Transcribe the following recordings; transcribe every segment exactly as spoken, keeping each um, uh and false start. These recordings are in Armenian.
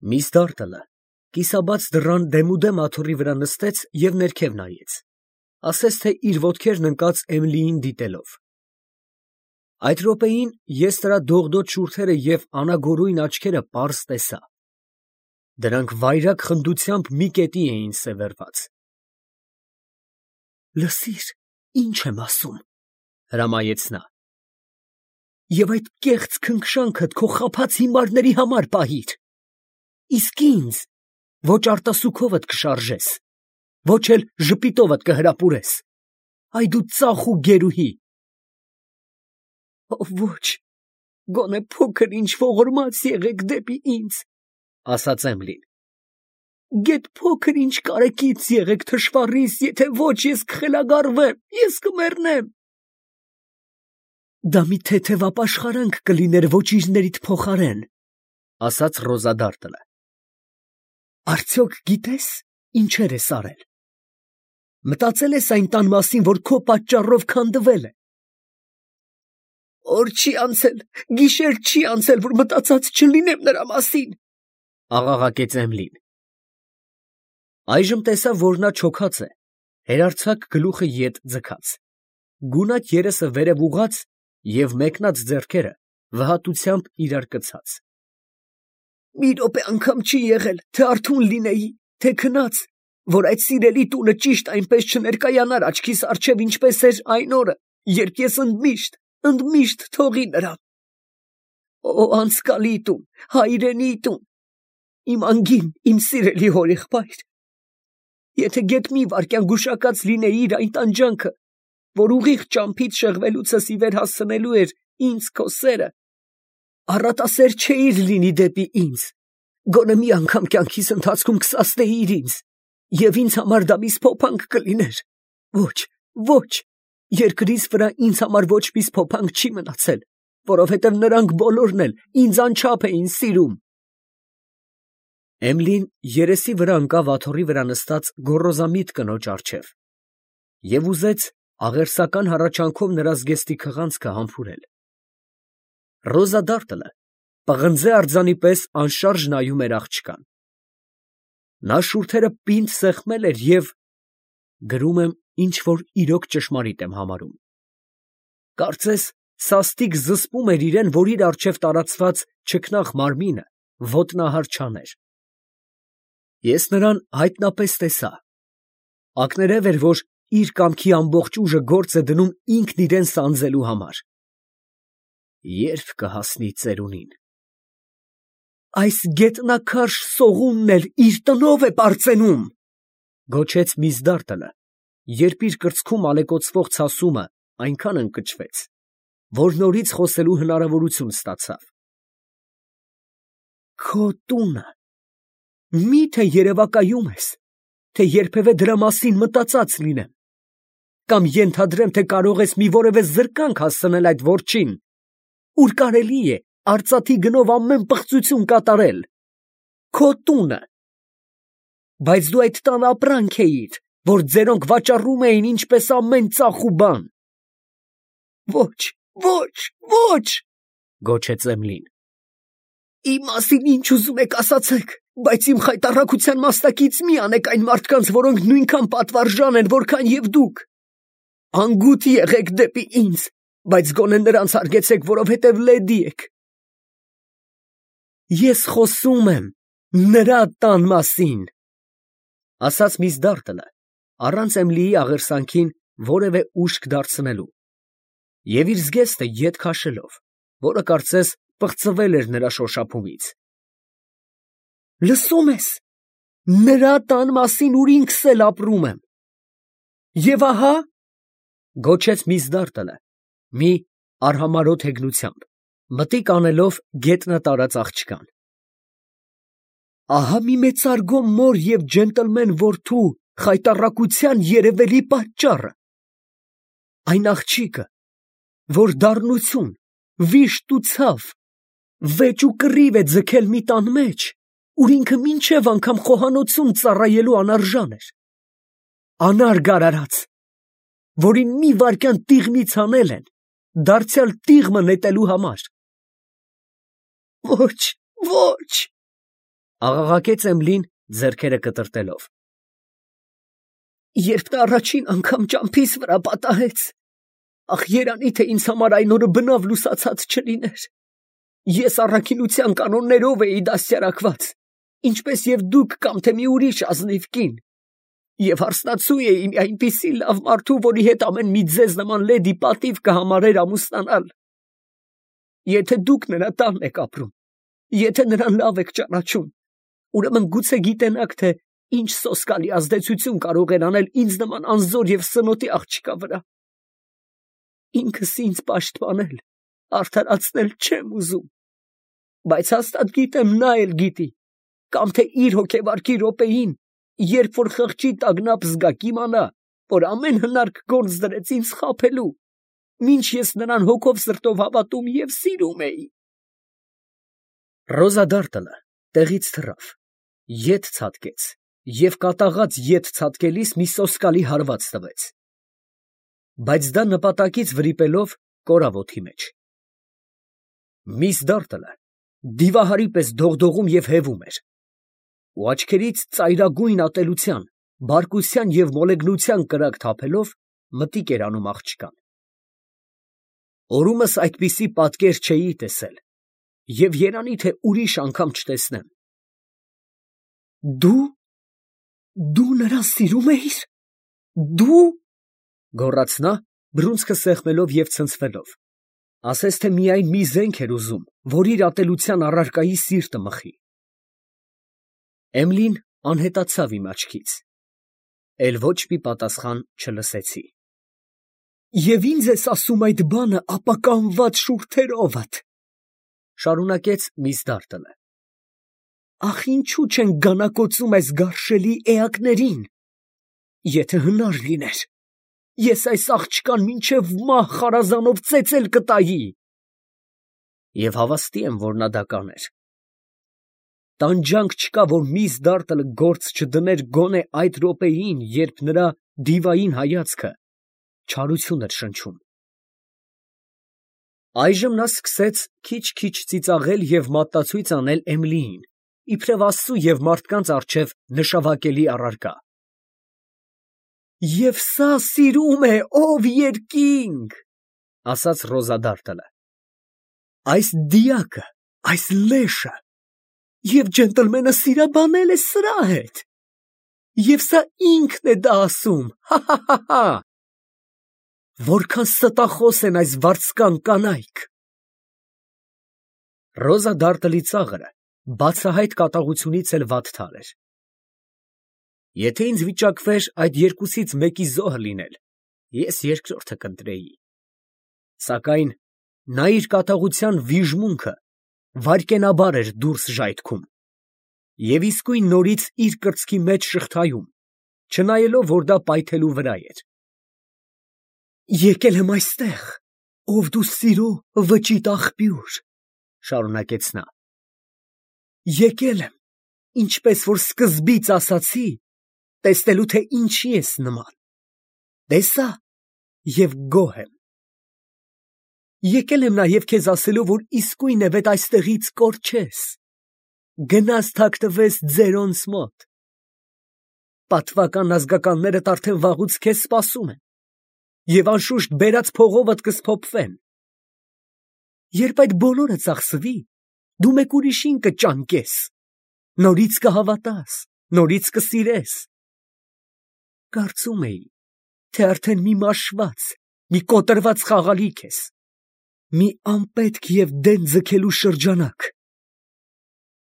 Միս Դարտլը կիսաբաց դռան դեմուդեմ աթոռի վրա նստեց և ներքև նայեց, ասես թե իր ոտքերն ընկած Էմիլիին դիտելով։ Այդ րոպեին ես նրա դողդոջ շուրթերը և անագորույն աչքերը պարզ տեսա. դրանք վայրագ խնդությամբ մի կետի էին սևեռված։ «Լսիր, ինչ եմ ասում, ֊ հրամայեց նա, ֊ և այդ կեղծ քնքշանքդ քո խաբած հիմարների համար պահիր, իսկ ինձ ոչ արտասուքովդ կշարժես, ոչ էլ ժպիտովդ կհրապուրես, այ դու ծախ ու գերուհի»։ «Ոչ, գոնե փոքր ինչ ողորմած եղեք դեպի ինձ, ֊ ասաց Էմիլին, ֊ գեթ փոքր ինչ կարեկից եղեք թշվառիս, եթե ոչ ես կխելագարվեմ, ես կմեռնեմ»։ «Դա մի թեթև ապաշխարանք կլիներ ոճիրներիդ փոխարեն, ֊ ասաց Ռոզա Դարտլը, ֊ արդյոք գիտես ինչեր ես արել, մտածե՞լ ես այն տան մասին, որ քո պատճառով քանդվել է։ Օր չի անցել, գիշեր չի անցել, որ մտածած չլինեմ նրա մասին, ֊ աղաղակեց Էմիլին։ Այժմ տեսավ, որ նա չոքած է, հերարձակ գլուխը ետ ձգած, գունատ երեսը վերև ուղղած և մեկնած ձեռքերը վհատությամբ իրար կցած։ «Մի րոպե անգամ չի եղել, թե արթուն լինեի, թե քնած, որ այդ սիրելի տունը ճիշտ այնպես չներկայանար աչքիս առջև, ինչպես էր այն օրը, երբ ես ընդմիշտ, ընդմիշտ թողի նրան։ Օ, անցկալի տուն, հայրենի տուն, իմ անգին, իմ սիրելի հորեղբայր, եթե գեթ մի վայրկյան գուշակած լինեիր այն տանջանքը, որ ուղիղ ճամփից շեղվելուցս ի վեր հասցնելու էր ինձ քո սերը, առատասեր չէիր լինի դեպի ինձ, գոնե մի անգամ կյանքիս ընթացքում կսասնեիր ինձ, և ինձ համար դա մի սփոփանք կլիներ։ Ոչ, ոչ, երկրիս վրա ինձ համար ոչ մի սփոփանք չի մնացել, որովհետև նրանք բոլորն էլ ինձ անչափ էին սիրում»։ Էմիլին երեսի վրա ընկավ աթոռի վրա նստած գոռոզամիտ կնոջ առջև և ուզեց աղերսական հառաչանքով նրա զգեստի քղանցքը համբուրել։ Ռոզա Դարտլը պղնձե արձանի պես անշարժ նայում էր աղջկան։ Նա շուրթերը պինդ սեղմել էր և, գրում եմ, ինչ֊որ իրոք ճշմարիտ եմ համարում, կարծես սաստիկ զսպում էր իրան, որ իր առջև տարածված չքնաղ մարմինը ոտնահար չաներ։ Ես նրան հայտնապես տեսա։ Ակներև էր, որ իր կամքի ամբողջ ուժը գործ է դնում ինքն իրան սանձելու համար։ Ե՞րբ կհասնի ծերունին։ «Այս գետնաքարշ սողունն էլ իր տնով է պարծենում, ֊ գոչեց միս Դարտլը, երբ իր կրծքում ալեկոծվող ցասումը այնքան ընկճվեց, որ նորից խոսելու հնարավորություն ստացավ։ Քո տունը, մի՞թե երևակայում ես, թե երբևէ դրա մասին մտածած լինեմ, կամ ենթադրեմ, թե կարող ես մի որևէ զրկանք հասցնել այդ որջին, ուր կարելի է արծաթի գնով ամեն պղծություն կատարել, քո տունը, բայց դու այդ տանը ապրանք էիր, որ ձերոնք վաճառում էին ինչպես ամեն ծախ ու բան։ Ոչ, ոչ, ոչ, ֊ գոչեց Էմիլին, իմ մասին ինչ ուզում եք ասացեք, բայց իմ խայտառակության մասնակից մի անեք այն մարդկանց, որոնք նույնքան պատվարժան են, որքան և դուք։ Անգութ եղեք դեպի ինձ, բայց գոնե նրանց հարգեցեք, որովհետև լեդի եք։ Ես խոսում եմ նրա տան մասին, ֊ ասաց միս Դարտլը, առանց Էմիլիի աղերսանքին որևէ ուշք դարձնելու և իր զգեստը ետ քաշելով, որը կարծես պղծվել էր նրա շոշափումից։ Լսո՞ւմ ես, նրա տան մասին, ուր ինքս էլ ապրում եմ։ Եվ ահա, ֊ գոչեց միս Դարտլը մի արհամարհոտ հեգնությամբ, մտիկ անելով գետնը տարած աղջկան, ահա մի մեծարգո մոր և ջենտլմեն որդու խայտառակության երևելի պատճառը, այն աղջիկը, որ դառնություն, վիշտ ու ցավ, վեճ ու կռիվ է ձգել մի տան մեջ, ուր ինքը մինչև անգամ խոհանոցում ծառայելու անարժան էր, անարգ արարած, որին մի վայրկյան տիղմից հանել են, դարձյալ տիղմը նետելու համար։ Ոչ, ոչ, Աղաղակեց Էմիլին ձեռքերը կտրտելով։ Երբ նա առաջին անգամ ճամփիս վրա պատահեց, ախ երանի թե ինձ համար այն օրը բնավ լուսացած չլիներ։ Ես առաքինության կանոններով էի դաստիարակված, ինչպես եւ դուք կամ թե մի ուրիշ ազնիվ կին, եւ հարստացու էի մի այնպիսի լավ մարդու, որի հետ ամեն մի ձեզ նման լեդի պատիվ կհամարեր ամուսնանալ։ Եթե դուք նրա տանն եք ապրում, եթե նրան լավ եք ճանաչում, ուրեմն գուցե գիտենաք, թե ինչ սոսկալի ազդեցություն կարող էր անել ինձ նման անզոր եւ սնոտի աղջկա վրա։ Ինքս ինձ պաշտպանել, արդարացնել չեմ ուզում, բայց հաստատ գիտեմ, նա էլ գիտի, կամ թե իր հոգեվարքի րոպեին, երբ որ խղճի տագնապ զգա, կիմանա, որ ամեն հնարք գործ դրեց ինձ խաբելու, մինչ ես նրան հոգով սրտով հավատում եւ սիրում էի։ Ռոզա Դարտլը տեղից թռավ, ետ ցատկեց եւ կատաղած ետ ցատկելիս մի սոսկալի հարված տվեց, բայց դա նպատակից վրիպելով կորավ օդի մեջ։ Միս Դարտլը դիվահարի պես դողդողում եւ հևում էր, ու աչքերից ծայրագույն ատելության, բարկության եւ մոլեգնության կրակ թափելով մտիկ էր անում աղջկան։ Օրումս այդպիսի պատկեր չէի տեսել եւ երանի թե ուրիշ անգամ չտեսնեմ։ Դու… դու նրան սիրում էիր… դու… գոռաց նա, բռունցքը սեղմելով եւ ցնցվելով, ասես թե միայն մի զենք էր ուզում, որ իր ատելության առարկայի սիրտը մխի։ Էմիլին անհետացավ իմ աչքից, էլ ոչ մի պատասխան չլսեցի։ Եվ ինձ ես ասում այդ բանը ապականված շուրթերովդ, շարունակեց միս Դարտլը։ Ախ, ինչու չեն գանակոծում այս գարշելի էակներին։ Եթե հնար լիներ, ես այս աղջկան մինչև մահ խարազանով ծեծել կտայի։ Եվ հավաստի եմ, որ նա դա կաներ։ Տանջանք չկա, որ միս Դարտլը գործ չդներ գոնե այդ րոպեին, երբ նրա դիվային հայացքը չարություն էր շնչում։ Այժմ նա սկսեց քիչ-քիչ ծիծաղել եւ մատտացույց անել Էմիլիին, իբրև Աստծու եւ մարդկանց առջև նշավակելի առարկա։ Եվ սա սիրում է, ով երկինք, ասաց Ռոզա Դարտլը։ Այս դիակը, այս լեշը, եւ ջենտլմենը սիրաբանել է սրա հետ։ Եվ սա ինքն է դա ասում, հա՛֊հա՛֊հա՛։ Որքան ստախոս են այս վարձկան կանայք։ Ռոզա Դարտլի ծաղրը բացահայտ կատաղությունից էլ վատթար էր։ Եթե ինձ վիճակվեր այդ երկուսից մեկի զոհը լինել, ես երկրորդը կընտրեի։ Սակայն նա իր կատաղության վիժմունքը վայրկենաբար էր դուրս ժայթքում և իսկույն նորից իր կրծքի մեջ շղթայում, չնայելով, որ դա պայթելու վրա էր։ Եկել եմ այստեղ, ով դու սիրո վճիտ աղբյուր, շարունակեց նա։ Եկել եմ, ինչպես որ սկզբից ասացի, տեսնելու թե ինչի ես նման։ Տեսա և գոհ եմ։ Եկել եմ նաև քեզ ասելու, որ իսկույն է վետ այստեղից կորչես, գնաս թաքնվես ձերոնց մոտ։ Պատվական ազգականներդ արդեն վաղուց քեզ սպասում են, և անշուշտ բերած փողովդ կսփոփվեն։ Երբ այդ բոլորը ծախսվի, դու մեկ ուրիշին կճանկես, նորից կհավատաս, նորից կսիրես։ Կարծում էի, թե արդեն մի մաշված, մի կոտրված խաղալիք ես, մի անպետք և դեն ձգելու շրջանակ։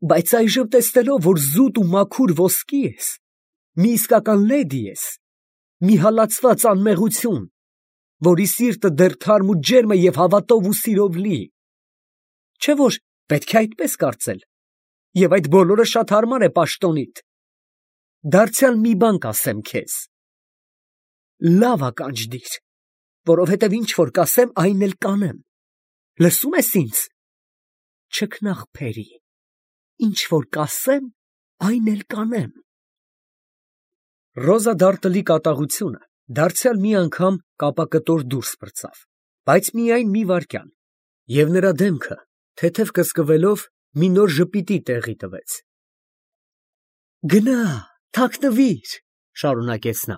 Բայց այժմ տեսնելով, որ զուտ ու մաքուր ոսկի ես, մի իսկական լեդի ես, մի հալածված անմեղություն, որի սիրտը դեռ թարմ ու ջերմ է և հավատով ու սիրով լի, չէ՞ որ պետք է այդպես կարծել, և այդ բոլորը շատ հարմար է պաշտոնիդ։ Դարձյալ մի բան կասեմ քեզ. լավ ականջ դիր, որովհետև ինչ որ կասեմ, այն էլ կանեմ։ Լսում ես ինձ։ Չքնաղ, ինչ որ կասեմ, այն էլ կանեմ։ Ռոզա Դարտլի կատաղությունը դարձյալ մի անգամ կապակտոր դուրս պրծավ, բայց միայն մի վայրկյան, և նրա դեմքը, թեթև կսկվելով, մի նոր ժպիտի տեղի տվեց, Գնա, թաքնվիր, շարունակեց նա։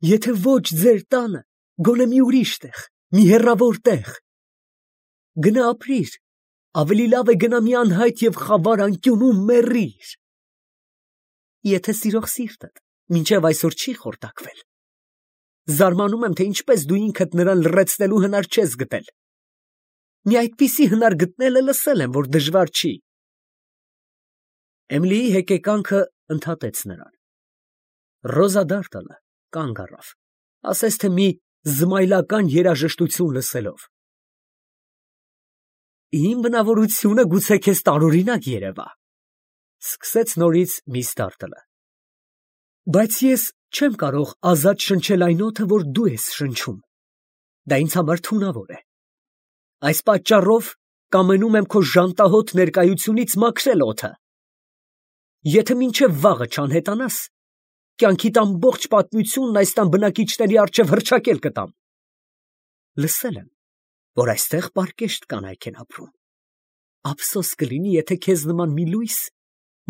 Եթե ոչ ձեր տանը, գոնե մի ուրիշ տեղ, մի հեռավոր տեղ։ Գնա ապրիր, ավելի լավ է գնա մի անհայտ և խավար անկյունում մեռիր։ Եթե սիրող սիրտդ մինչև այսօր չի խորտակվել, զարմանում եմ, թե ինչպես դու ինքդ նրան լռեցնելու հնար չես գտել։ Մի այդպիսի հնար գտնելը լսել եմ, որ դժվար չի։ Էմիլիի հեկեկանքը ընդհատեց նրան։ Ռոզա Դարտալը կանգ առավ, ասես թե մի զմայլական երաժշտություն լսելով։ Իմ բնավորությունը գուցե քեզ տարօրինակ երևա, սկսեց նորից միս Դարտալը։ Բայց ես չեմ կարող ազատ շնչել այն օդը, որ դու ես շնչում։ Դա ինձ համար թունավոր է։ Այս պատճառով կամենում եմ քո ժանտահոտ ներկայությունից մաքրել օդը։ Եթե մինչև վաղը չանհետանաս, կյանքիդ ամբողջ պատմությունն այս տան բնակիչների առջև հռչակել կտամ։ Լսել եմ, որ այստեղ պարկեշտ կանայք են ապրում։ Ափսոս կլինի, եթե քեզ նման մի լույս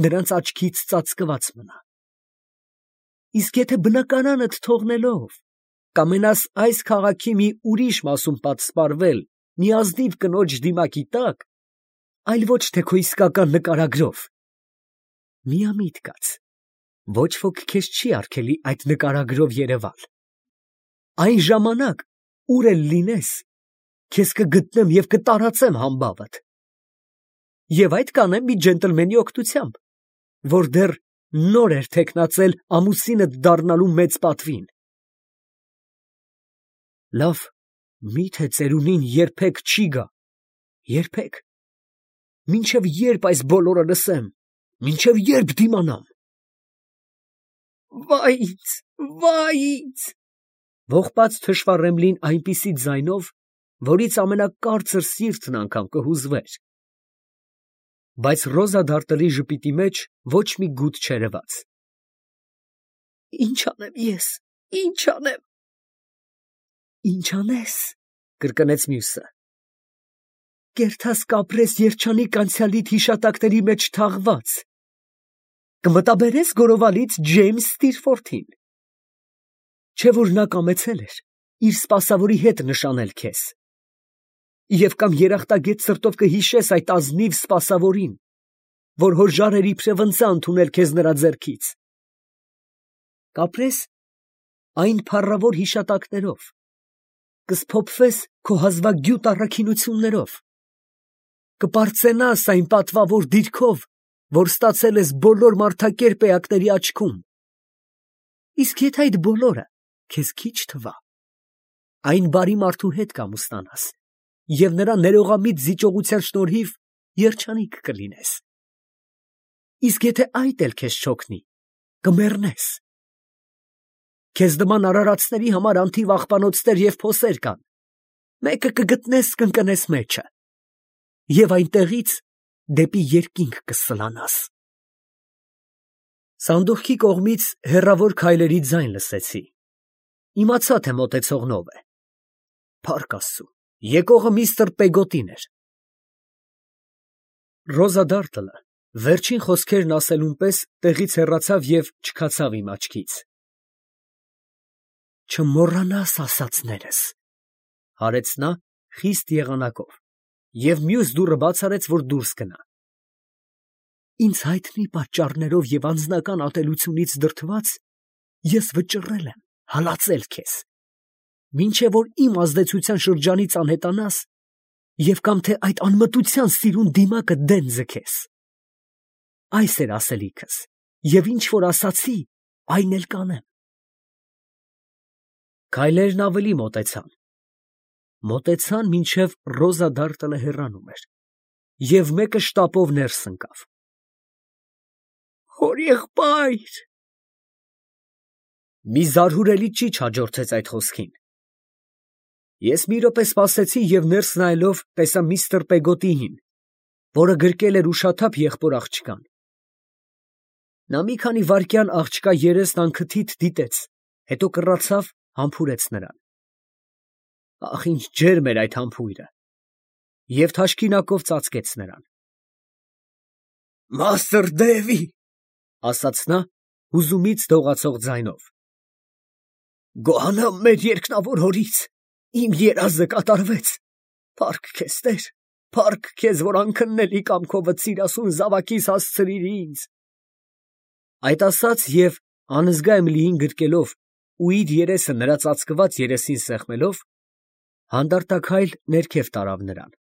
նրանց աչքից ծածկված մնա։ Իսկ եթե բնականանդ թողնելով, կամենաս այս քաղաքի մի ուրիշ մասում պատսպարվել մի ազնիվ կնոջ դիմակի տակ, այլ ոչ թե քո իսկական նկարագրով, միամիտ կաց, ոչ ոք քեզ չի արգելի այդ նկարագրով երևալ։ Այն ժամանակ, ուր էլ լինես, քեզ կգտնեմ և կտարածեմ համբավդ։ Եվ այդ կանեմ մի ջենտլմենի օգնությամբ, որ դեռ նոր էր թեկնածել ամուսինդ դառնալու մեծ պատվին։ Լավ, միթե ծերունին երբեք չի գա, երբեք։ Մինչև երբ այս բոլորը լսեմ, մինչև երբ դիմանամ։ Վայ ինձ, վայ ինձ, ողբաց թշվառ Էմիլին այնպիսի ձայնով, որից ամենակարծր սիրտն անգամ կհուզվեր։ Բայց Ռոզա Դարտլի ժպիտի մեջ ոչ մի գութ չերևաց։ Ինչ անեմ ես, ինչ անեմ։ Ինչ անես, կրկնեց մյուսը։ Կերթաս կապրես երջանիկ անցյալիդ հիշատակների մեջ թաղված։ Կմտաբերես գորովալից Ջեյմս Ստիրֆորդին։ Չէ՞ որ նա կամեցել էր իր սպասավորի հետ նշանել քեզ։ Եվ կամ երախտագետ սրտով կհիշես այդ ազնիվ սպասավորին, որ հոր ժարեր իբրև ընծա ընդունել քեզ նրա ձեռքից։ Կապրես այն փառավոր հիշատակներով, կսփոփվես քո հազվագյուտ առաքինություններով, կպարծենաս այն պատվավոր դիրքով, որ ստացել ես բոլոր մարդակերպ էակների աչքում։ Իսկ եթե այդ բոլորը քեզ քիչ թվա, այն բարի մարդու հետ կամուսնանաս և նրա ներողամիտ զիջողության շնորհիվ երջանիկ կլինես։ Իսկ եթե այդ էլ քեզ չօգնի, կմեռնես։ Քեզ նման արարածների համար անթիվ աղբանոցներ և փոսեր կան, մեկը կգտնես կընկնես մեջը, և այնտեղից դեպի երկինք կսլանաս։ Սանդուղքի կողմից հեռավոր քայլերի ձայն լսեցի։ Իմացա, թե մոտեցողն ով է։ Փառք Աստծու, եկողը միստր Պեգոտին էր։ Ռոզա Դարտլը վերջին խոսքերն ասելուն պես տեղից հեռացավ և չքացավ իմ աչքից։ Չմոռանաս ասածներս, հարեց նա խիստ եղանակով և մյուս դուռը բաց արեց, որ դուրս գնա։ Ինձ հայտնի պատճառներով և անձնական ատելությունից դրդված, ես վճռել եմ հալածել քեզ, մինչև որ իմ ազդեցության շրջանից անհետանաս և կամ թե այդ անմտության սիրուն դիմակը դեն ձգես։ Այս էր ասելիքս, և ինչ որ ասացի, այն էլ կանեմ։ Քայլերն ավելի մոտեցան, մոտեցան, մինչև Ռոզա Դարտլը հեռանում էր, և մեկը շտապով ներս ընկավ։ Հորեղբայր… Մի զարհուրելի ճիչ հաջորդեց այդ խոսքին։ Ես մի րոպե սպասեցի և ներս նայելով տեսա միստր Պեգոտիին, որը գրկել էր ուշաթափ եղբոր աղջկան։ Նա մի քանի վայրկյան աղջկա երեսն անքթիթ դիտեց, հետո կռացավ, համբուրեց նրան։ Ախ, ինչ ջերմ էր այդ համբույրը, և թաշկինակով ծածկեց նրան։ Մաստր Դեվի, ասաց նա հուզումից դողացող ձայնով։ Գոհանամ մեր երկնավոր հորից, իմ երազը կատարվեց, փառք քեզ, Տեր, փառք քեզ, որ անքննելի կամքովդ սիրասուն զավակիս հասցրիր ինձ։ Այդ ասաց և անզգա Էմիլիին գրկելով ու իր երեսը նրա ծածկված երեսին սեղմելով, հանդարտակայլ ներքև տարավ նրան։